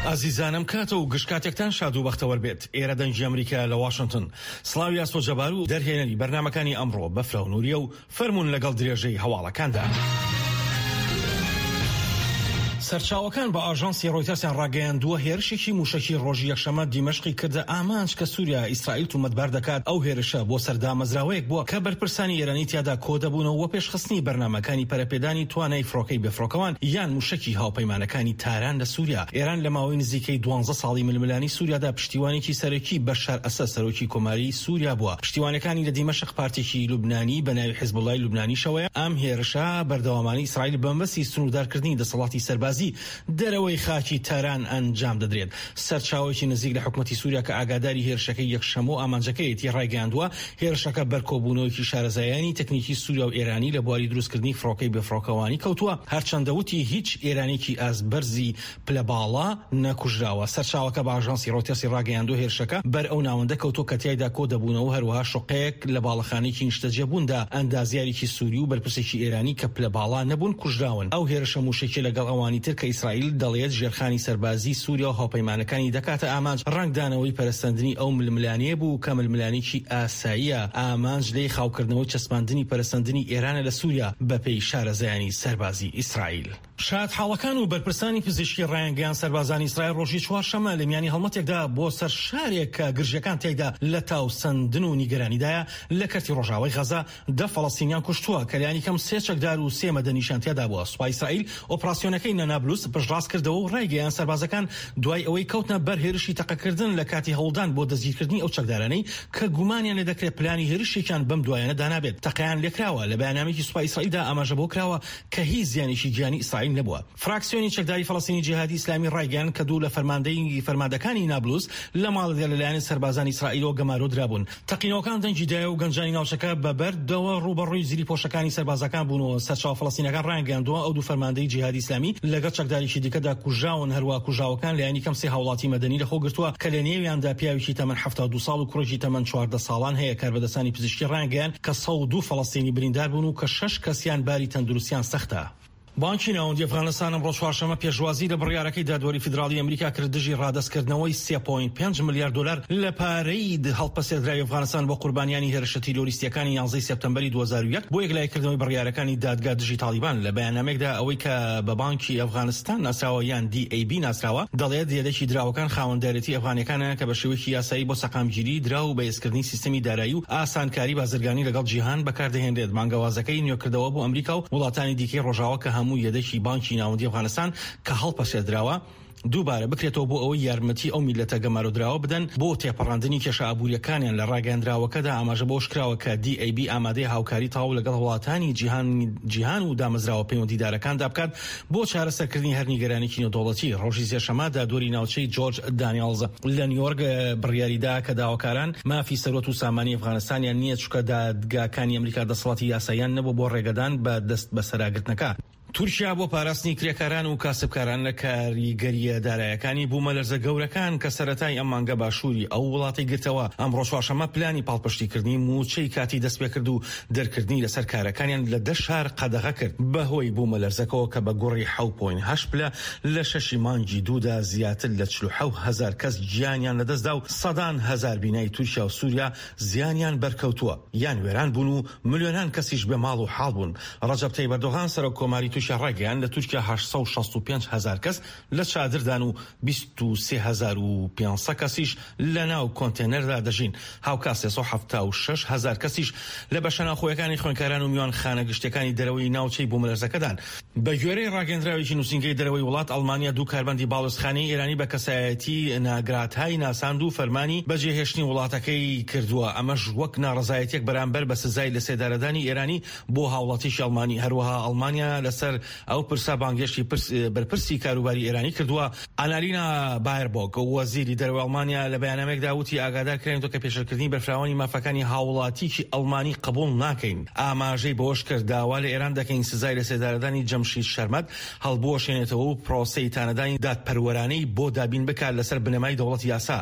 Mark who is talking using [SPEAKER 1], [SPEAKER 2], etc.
[SPEAKER 1] ئازیزانم کاتە و گشت کاتێکتان شاد و بەختەوەر بێت. ئێرە دەنگی ئەمریکایە لە واشنتن. سڵاوی ئاسۆ جەبار و دەرهێنەری بەرنامەکانی ئەمڕۆ بەفرە و نوریە و فەرموون لەگەڵ درێژەی هەواڵەکاندا. سەرچاوەکان بە ئاژانسی ڕۆیتەرسیان ڕاگەیاندووە، هێرشێکی مووشەکی ڕۆژی یەکشەممە دیمەشقی کردە ئامانج کە سووریا ئیسرائیل تومەتبار دەکات ئەو هێرشە بۆ سەر دامەزراوەیەک بووە کە بەرپرسانی ئێرانی تیادا کۆدەبوونەوە بۆ پێشخستنی بەرنامەکانی پەرەپێدانی توانای فڕۆکەی بێفڕۆکەوان یان مووشەکی هاوپەیمانەکانی تاران لە سووریا. ئێران لە ماوەی نزیکەی دوانزە ساڵی ململانێی سووریادا پشتیوانێکی سەرەکی بەشار ئەسەد سەرۆکی کۆماری سووریا بووە. پشتیوانەکانی لە دیمەشق پارتێکی لوبنانی بە ناوی حیزبوڵای لوبنانیشەوەیە. ئەم هێرشە بەردەوامانەی ئیسرائیل بە مەبەستی سنووردارکردنی دەسەڵاتی سەربازی دەرەوەی خاکی تاران ئەنجام دەدرێت. سەرچاوەیەکی نزیک لە حکومەتی سووریا کە ئاگاداری هێرشەکەی یەکشەممە و ئامانجەکەیەتی ڕایگەیاندووە، هێرشەکە بەر کۆبوونەوەیەکی شارەزایانی تەکنیکی سووریا و ئێرانی لە بواری دروستکردنی فڕۆکەی بێفڕۆکەوانی کەوتووە، هەرچەندە وتی هیچ ئێرانییەکی ئاست بەرزی پلە باڵا نەکوژراوە. سەرچاوەکە بە ئاژانسی ڕۆیتەرسی ڕاگەیاندووە، هێرشەکە بەر ئەو ناوەندە کەوتووە کە تیایدا کۆدەبوونەوە، هەروەها شوقەیەک لە باڵەخانەیەکی نیشتەجێبووندا ئەندازیارێکی سووری و بەرپرسێکی ئێرانی کە پلە باڵا نەبوون کوژراون. ئەو هێرشە مووشەکیە لەگەڵ ئەوانی تر کە ئیسرائیل دەڵێت ژێرخانی سەربازیی سووریا و هاوپەیمانەکانی دەکاتە ئامانج، ڕەنگدانەوەی پەرەسەندنی ئەو ململانێیە بوو کە ململانێکی ئاساییە، ئامانج لێی خاوکردنەوەی چەسپاندنی پەرەسەندنی ئێرانە لە سووریا، بەپێی شارەزایانی سەربازی ئیسرائیل. شایەتحاڵەکان و بەرپرسانی پزیشکی ڕایانگەیاند، سەربازانی ئیسرائیل ڕۆژی چوارشەممە لە میانی هەڵمەتێکدا بۆ سەر شارێک کە گرژییەکان تیایدا لە تاوسەندن و نیگەرانیدایە لە کەرتی ڕۆژئاوای غەزە، دە فەڵەستینیان کوشتووە کە لانیکەم سێ چەکدار و سێ مەدەنیشیان تیادا بووە. سوپای ئیسرائیل ئۆپراسیۆنەکەی لە نابلوس پشتڕاست کردەوە و ڕایگەیاند، سەربازەکان دوای ئەوەی کەوتنە بەر هێرشی تەقەکردن لە کاتی هەوڵدان بۆ دەستگیرکردنی ئەو چەکدارانەی کە گومانیان لێدەکرێت پلانی هێرشێکیان بەم دوایانە دانابێت، تەقەیان لێکراوە. لە بەیاننامەیەکی سوپای ئیسرائیلدا ئاماژە بەوە کراوە کە هیچ زیانێکی گیانی ئیسرائیل نەبووە. فراکسیۆنی چەکداری فەڵەستینی جیهادی ئیسلامی ڕایگەیاند کە دوو لە فەرماندەی فەرماندەکانی نابلوس لە ماڵێکدا لەلایەن سەربازانی ئیسرائیلەوە گەمارۆ درابوون. تەقینەوەکان دەنگی دایە و گەنجانی ناوچەکە بە بەردەوە ڕووبەڕووی زریپۆشەکانی سەربازەکان بوونەوە. سەرچاوە فەڵەستینەکان ڕایانگەیاندووە ئەو دوو فەرماندەی جیهادی ئیسلامی لەگەڵ چەکدارێکی دیکەدا کوژراون، هەروەها کوژراوەکان لایەنی کەم سێ هاوڵاتی مەدەنی لەخۆگرتووە کە لەنێویاندا پیاوێکی تەمەن 72 ساڵ و کوڕێکی تەمەن 14 ساڵان هەیە. کاربەدەستانی پزیشکی ڕایانگەیاند کە 102 فەڵەستینی بریندار بوون و کە شەش کەسیان باری تەندروستیان سەختە. بانکی ناوەندی ئەفغانستان ئەمڕۆ چوارشەممە پێشوازی لە بڕیارەکەی دادوەری فیدراڵی ئەمریکا کرد دژی ڕادەستکردنەوەی سێ پۆینت پێنج ملیار دۆلار لە پارەی هەڵپەسێردراوی ئەفغانستان بۆ قوربانیانی هێرشە تیرۆریستییەکانی یانزەی سێپتەمبەری 2001 بۆ یەکلاییکردنەوەی بڕیارەکانی دادگا دژی تاڵیبان. لە بەیاننامەیەکدا ئەوەی کە بە بانکی ئەفغانستان ناسراوە یان DAB ناسراوە دەڵێت یەدەکی دراوەکان خاوەندارێتی ئەفغانیەکانە کە بە شێوەیەکی یاسایی بۆ سەقامگیری دراو و بەهێزکردنی سیستەمی دارایی و ئاسانکاری بازرگانی لەگەڵ جیهان بەکاردەهێنرێت. بانگەوازەکەی نوێکردەوە بۆ ئەمریکا و وڵاتانی دیکەی ڕۆژاوا کە هەموو یەدەکی بانکی ناوەندی ئەفغانستان کە هەڵپەسێردراوە دووبارە بکرێتەوە بۆ ئەوەی یارمەتی ئەو میللەتە گەمارۆدراوە بدەن بۆ تێپەڕاندنی کێشە ئابوورییەکانیان. لە ڕاگەیەندراوەکەدا ئاماژە بەوەشکراوە کە DAB ئامادەیە هاوکاری تەواو لەگەڵ وڵاتانی جیهان و دامەزراوە پەیوەندیدارەکاندا بکات بۆ چارەسەرکردنی هەر نیگەرانیی نێودەوڵەتی. ڕۆژی سێشەممە دادوەری ناوچەی جۆرج دانیێڵز لە نیویۆرک بڕیاریدا کە داواکاران مافی سەروەت و سامانی ئەفغانستانیان نییە چونکە دادگاکانی ئەمریکا دەسەڵاتی یاساییان نەبووە بۆ ڕێگەدان بە دەستبەسەراگرتنەکە. تورکیا بۆ پاراستنی کرێکاران و کاسبکاران لە کاریگەرییە دارایەکانی بوومەلەرزە گەورەکان کە سەرەتای ئەم مانگە باشووری ئەو وڵاتەی گرتەوە، ئەمڕۆ چوارشەممە پلانی پاڵپشتیکردنی مووچەی کاتی دەستپێکرد و دەرکردنی لەسەر کارەکانیان لە دە شار قەدەغە کرد بەهۆی بوومەلەرزەکەوە کە بە گوڕی حەو پۆینت هەشت پلە لە شەشی مانگی دوودا زیاتر لە 47 هەزار کەس گیانیان لەدەستدا و سەدان هەزار بینای تورکیا و سوریا زیانیان بەرکەوتووە یان وێران بوون و ملیۆنان کەسیش بێ ماڵ و حاڵ بوون. ڕەجەب تەیب ئەردۆغان سەرۆک کۆماری تورکیا ڕایگەیاند لە تورکیا 865 هەزار کەس لە چادردان و 23500 کەسیش لە ناو کۆنتێنەردا دەژین، هاوکات 376 هەزار کەسیش لە بەشە ناوخۆیەکانی خوێندکاران و میوانخانە گشتیەکانی دەرەوەی ناوچەی بوومەلەرزەکەدان. بەگوێرەی ڕاگەیەندراوێکی نووسینگەی دەرەوەی وڵات، ئەڵمانیا دوو کارمەندی باڵیۆزخانەی ئێرانی بە کەسایەتی ناگراتای ناساند و فەرمانی بەجێهێشتنی وڵاتەکەی کردووە، ئەمەش وەک ناڕەزایەتیەک بەرامبەر بە سزای لەسێدارەدانی ئێرانی بۆ هاوڵاتیی ئەڵمانی. هەروەها ئەڵمانیا لەسەر ئەو پرسە بانگهێشتی بەرپرسی کاروباری ئێرانی کردووە. ئانالینا بایربۆک، وەزیری دەرەوەی ئەڵمانیا لە بەیاننامەیەکدا وتی، ئاگادار کراینەوە کە پێشێلکردنی بەرفراوانی مافەکانی هاوڵاتیی ئەڵمانی قبوڵ ناکەین. ئاماژەی بەوەشکرد، داوا لە ئێران دەکەین سزای لەسێدارەدانی جەمشید شەرمەد هەڵبوەشێنێتەوە و پرۆسەی تانەدانی دادپەروەرانەی بۆ دابین بکات لەسەر بنەمای دەوڵەتی یاسا.